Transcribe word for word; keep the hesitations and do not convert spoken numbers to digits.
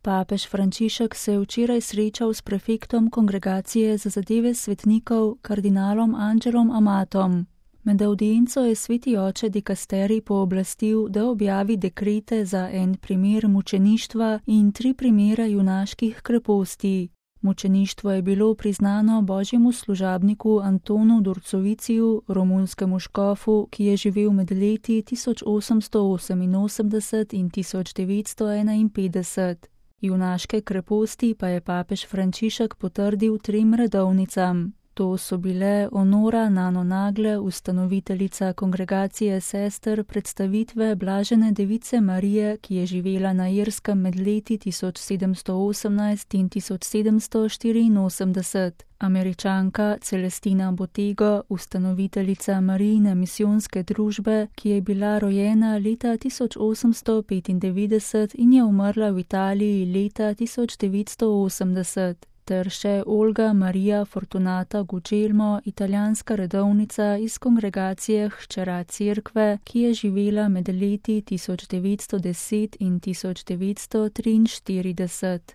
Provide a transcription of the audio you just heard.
Papež Frančišek se je včeraj srečal s prefektom Kongregacije za zadeve svetnikov, kardinalom Angelom Amatom. Med avdienco je sveti oče dikasterij pooblastil, da objavi dekrete za en primer mučeništva in tri primere junaških kreposti. Mučeništvo je bilo priznano božjemu služabniku Antonu Dorcoviciju, romunskemu škofu, ki je živel med leti tisoč osemsto oseminosemdeset in tisoč devetsto enainpetdeset. Junaške kreposti pa je papež Frančišek potrdil trem redovnicam. To so bile Onora Nano Nagle, ustanoviteljica Kongregacije sester predstavitve Blažene device Marije, ki je živela na Irskem med leti tisoč sedemsto osemnajst in tisoč sedemsto štiriinosemdeset. Američanka Celestina Botego, ustanoviteljica Marijine misijonske družbe, ki je bila rojena leta tisoč osemsto petindevetdeset in je umrla v Italiji leta tisoč devetsto osemdeset. Ter še Olga Marija Fortunata Gugelmo, italijanska redovnica iz Kongregacije Hčera Cerkve, ki je živela med leti tisoč devetsto deset in tisoč devetsto triinštirideset.